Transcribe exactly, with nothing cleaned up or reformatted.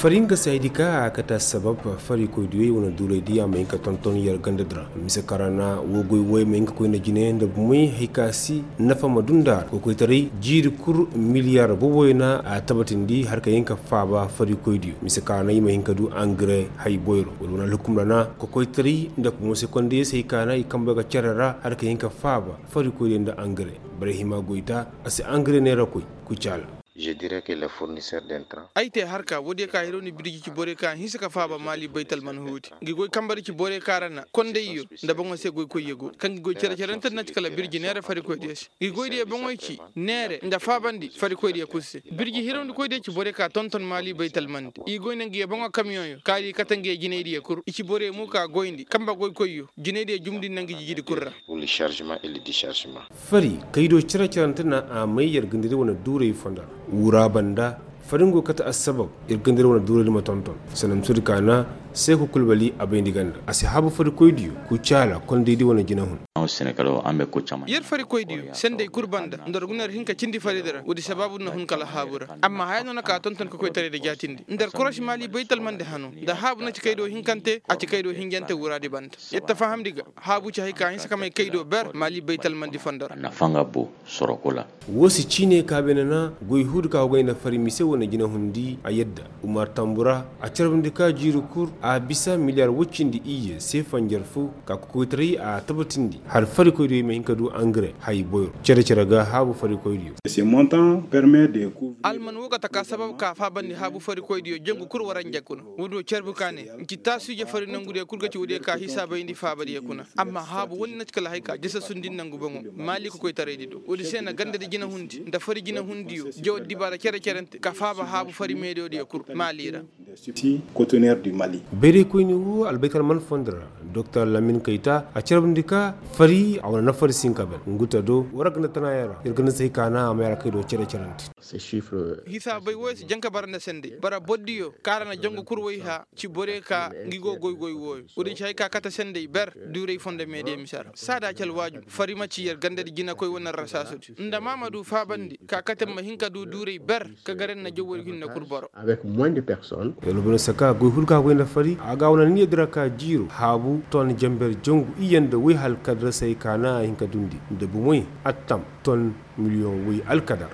Fari nga se haydi ka a kate assabab farikoydiyo wane duuraydi a ma hin ka tonton yer gandadi ra. Mise kaŋ ra na woo goy wooyo ma hin ka koy nda jine nda bumey hay ka si nafa ma du nda a ra kokoytaray jiiri kul miliyar boboyo na a tabatindi har ka hin ka faaba farikoydiyo mise kaŋ ra na i ma hin ka du angare hay boyro wala wane alhukum ra na kokoytaray nda kumo se kondayey se hay ka na i kambe ga care ra har ka hin ka faaba farikoydiyo nda angare. Barey hima goyta a si angare neerakoy kucaala. Ay te harka woodiyo ka hiro ni birji ci borey ka hinsa ka faaba maali baytal man huudi ngi goy kambari ci borey ka ra na kondayyo nda boŋo se goykoyyo go kaŋ ngi goy cere-cerente na ci kala birji neera farikoydiyo se ngi goydiyo boŋoy ci neere nda faabandi farikoydiyo kul se. Birji hirondikoydiyo ci borey ka tonton maali baytal mandi i goy na ngiyo boŋo kamiyoŋyo kaari kate ngiyo jinaydiyo kul i ci borey mo ka goyndi kamba goykoyyo jinaydiyo jumndi na ngi jijidi kul ra. Fari kaydo cere-cerante na a may yer gandari wane duuray fondo ra. Wura banda fari nga go kate assabab yer gandari wane duuray di ma tonton. Sanam sudi ka na seeku kulbali a bayndi ganda a si haabu farikoydiyo kucaala kondaydi wane jinahun. Yer farikoydiyo senday kul banda nda war guna yer hin ka cindi faridi ra woodi sabaabu na hun kala haabu ra. Amma haya no na ka tonton ka koytaray da jaatindi nda yer korosi maali baytal mandi hano nda haabu na ci kaydo hinkante a ci kaydo hinjante wuraadi banda. Yer ta fahamndi ga haabu ci hay ka hinsa ka may kaydo ber maali baytal mandi fondo ra. Woo se ciiney ka beene na goy huudi ka go goy nda fari mise wane jinahundi a yadda umar tambura a carbundi ka jiiri kul a bisa miliyar woy cindi iyye se fanjar fo ka kokoytaray a tabatindi har farikoydiyo ma hin ka du angare hay boyro cere-cere ga haabu farikoydiyo. Alman woo ga taka sabab ka faabandi haabu farikoydiyo jangu kul waranja kuna. Woodiyo carbu ka ne nci taasuuje fari nangudiyo kul ga ci woodiyo ka hisaabayndi faabadiyo kuna. Amma haabu woodi na ci kala hay ka jasa sundin nangu boŋo maali kokoytaraydi do woodi se na gandadi jinahundi nda fari jinahundiyo jaw dibaara cere-cerente ka faaba haabu fari meediyodiyo kul maali ra. Bayraykoyni woo albaytal man fondo ra doktor lamin kayta a carbundi ka fari a wane nafari si hin ka ban ngu ta do war ganda tanaayaŋ ra yer ganda se hay ka na a ma yar kay do cere-cerente. Hisaabey wooyo si janka bara nda sendey bara bordiyo kaŋ a ra na jangu kul wayha ci borey ka ngi go goy-goy wooyo woodin ci hay ka kate sendey ber duuray fondo meediya mise ra saada ci alwaaju fari ma ci yer gandadi jinakoy wane rasaasudi nda maamadu faabandi ka kate ma hin ka du duuray ber ka gare nda jaw woy hinne kul boro. Yer no boro saka goy hul ka goy nda fari a ga wane niyyadi ra ka jiiro haabu ton janber jangu iyye nda woy halkadara se hay ka na a hin ka dundi nda bumey attam ton miliyoŋ woy alkadar.